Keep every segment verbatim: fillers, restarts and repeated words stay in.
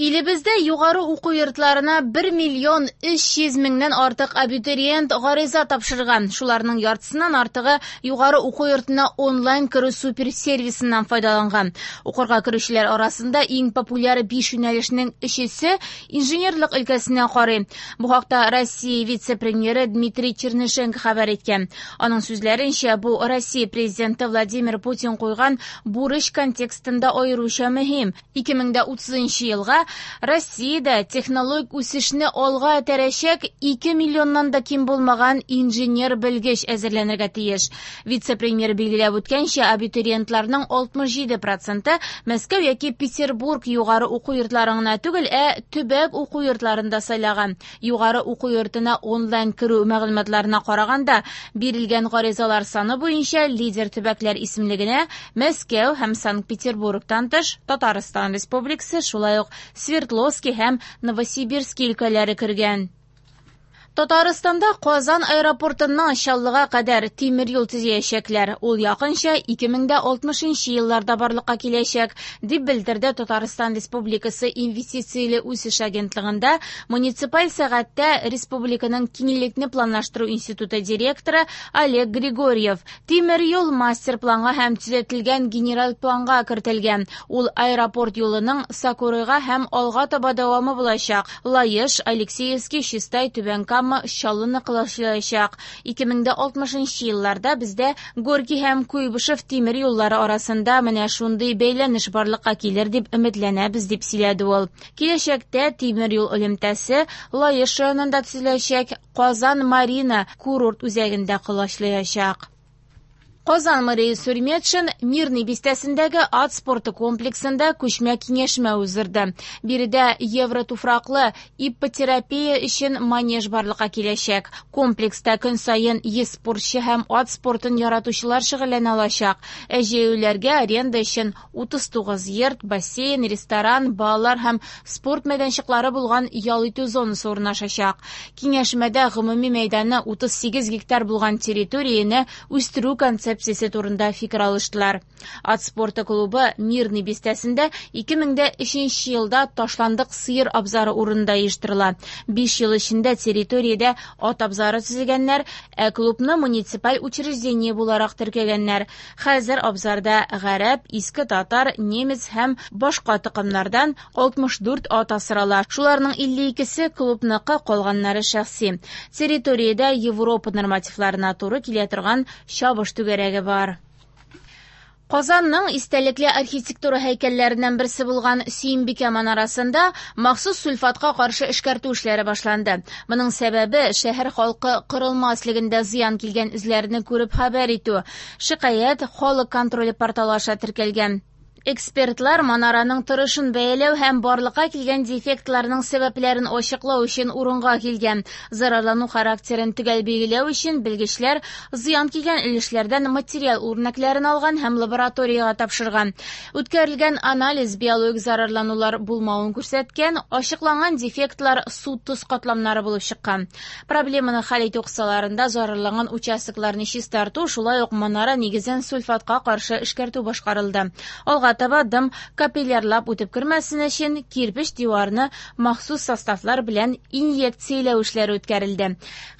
Илебездә югары уку йортларына бер миллион өч йөз меңнән артык абитуриент гариза тапшырган. Шуларның яртысыннан артыгы югары уку йортына онлайн керү суперсервисыннан файдаланган. Укырга керүчеләр арасында иң популяр биш юнәлешнең өчесе инженерлык өлкәсенә карый. Бу хакта Россия вице-премьеры Дмитрий Чернышенко хәбәр иткән. Аның сүзләренчә, бу Россия президенты Владимир Путин куйган бурыч контекстында аеруча мөһим. ике мең дә утызынчы елга Россиядә технологик үсешне алга этәрәчәк ике миллионнан да ким булмаган инженер-белгеч әзерләнергә тиеш. Вице-премьер билгеләп үткәнчә, абитуриентларның алтмыш җиде проценты Мәскәү яки Петербург югары уку йортларын гына түгел, ә төбәк уку йортларын да сайлаган. Югары уку йортына онлайн керү мәгълүматларына караганда, бирелгән гаризалар саны буенча лидер төбәкләр исемлегенә Мәскәү һәм Санкт-Петербургтан тыш Татарстан Республикасы, шулай ук Свердловский һәм Новосибирский өлкәләре кергән. Татарстанда Казан аэропортыннан Чаллыга кадәр тимер юл төзәячәкләр. Ул якынча ике мең дә алтмышынчы елларда барлыкка киләчәк, дип белдерде Татарстан Республикасы Инвестицияле үсеш агентлыгында муниципаль сәгатьтә Республиканың киңлекне планлаштыру институты директоры Олег Григорьев. Тимер юл мастер-планга һәм төзәтелгән генераль планга кертелгән. Ул аэропорт юлының Сокурыга һәм алга таба дәвамы булачак. Лаеш, Алексеевский, Чистай, Түбән Кама, Чаллыны кылачлаячак. ике мең дә алтмышынчы елларда бездә Горький һәм Куйбышев тимер юллары арасында менә шундый бәйләнеш барлыкка килер дип өметләнәбез, дип сөйләде ул. Киләчәктә тимер юл элемтәсе Лаеш районында төзеләчәк, Казан Марина курорт үзәгендә колачлаячак. Казан мэры Илсур Метшин Мирный бистәсендәге ат спорты комплексында күчмә киңәшмә уздырды. Биредә евротуфраклы иппотерапия өчен манеж барлыкка киләчәк. Комплекста көн саен йөз спортчы һәм ат спортын яратучылар шөгыльләнә алачак. Ә җәяүлеләргә аренда өчен утыз тугыз йорт, бассейн, ресторан, балалар һәм спорт мәйданчыклары булган ял итү зонасы урнашачак. Киңәшмәдә гомуми мәйданы утыз сигез гектар булган территорияне үстерү концепциясе турында фикер алыштылар. Ат спорты клубы Мирный бистәсендә ике мең дә өченче елда ташландык сыер абзары урынында оештырыла. Биш ел эчендә территориядә ат абзары төзегәннәр, ә клубны муниципаль учреждение буларак теркәгәннәр. Хәзер абзарда гарәп, иске татар, немец һәм башка токымнардан алтмыш дүрт ат асрала. Шуларның илле икесе клубныкы, калганнары шәхси. Территориядә Европа нормативларына туры килә торган чабыш түгәрәге бар. Казанның истәлекле архитектура һәйкәлләреннән берсе булган Сөембикә манарасында махсус сульфатка каршы эшкәртү эшләре башланды. Моның сәбәбе шәһәр халкы корылма өслегендә зыян килгән эзләрне күреп хәбәр итү. Шикаять халык контроле порталы аша теркәлгән. Экспертлар манараның торышын бәяләү һәм барлыкка килгән дефектларның сәбәпләрен ачыклау өчен урынга килгән. Зарарлану характерын төгәл билгеләү өчен белгечләр зыян килгән өлешләрдән материал үрнәкләрен алган һәм лабораториягә тапшырган. Үткәрелгән анализ биологик зарарланулар булмавын күрсәткән, ачыкланган дефектлар су-тоз катламнары булып чыккан. Проблеманы хәл итү кысаларында зарарланган участокларны чистарту, шулай ук манара нигезен сульфатка каршы эшкәртү башкарылды. Алга таба дым капиллярлап үтеп кермәсен өчен кирпеч диварны махсус составлар белән инъекцияләү эшләре үткәрелде.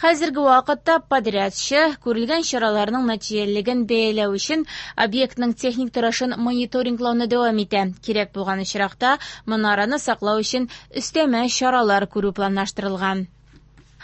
Хәзерге вакытта подрядчы күрелгән чараларның нәтиҗәлелеген бәяләү өчен объектның техник торышын мониторинглауны дәвам итә. Кирәк булган очракта манараны саклау өчен өстәмә чаралар күрү планлаштырылган.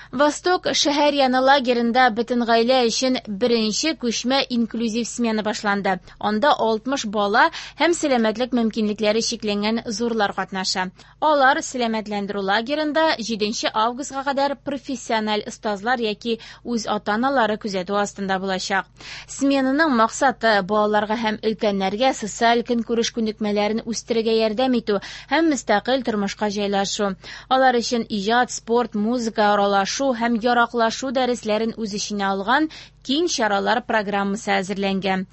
Восток шәһәр яны лагерында бөтен гаилә өчен беренче күчмә инклюзив смена башланды. Анда алтмыш бала һәм сәламәтлек мөмкинлекләре чикләнгән зурлар катнаша. Алар сәламәтләндерү лагерында җиденче августка кадәр профессиональ остазлар яки үз ата-аналары күзәтү астында булачак. Сменаның максаты балаларга һәм өлкәннәргә социаль көнкүреш күнекмәләрен үстерергә ярдәм итү һәм мөстәкыйль тормышка җайлашу. Алар өчен иҗат, спорт, музыка, аралашу һәм яраклашу дәресләрен үз эченә алган киң чаралар программасы әзерләнгән.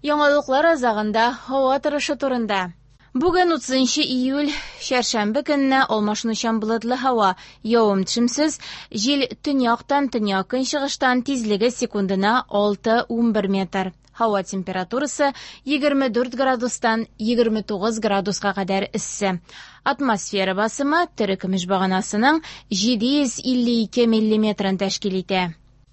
Яңалыклар азагында һава торышы турында. Бүген утызынчы июль, чәршәмбе көненә алмашынучан болытлы һава, явым-төшемсез, җил төньяктан төньяк көнчыгыштан, тизлеге секундына алты-унбер метр. Һава температурасы егерме дүрт градустан егерме тугыз градуска кадәр эссе. Атмосфера басымы терекөмеш баганасының җиде йөз илле ике миллиметрын тәшкил итә.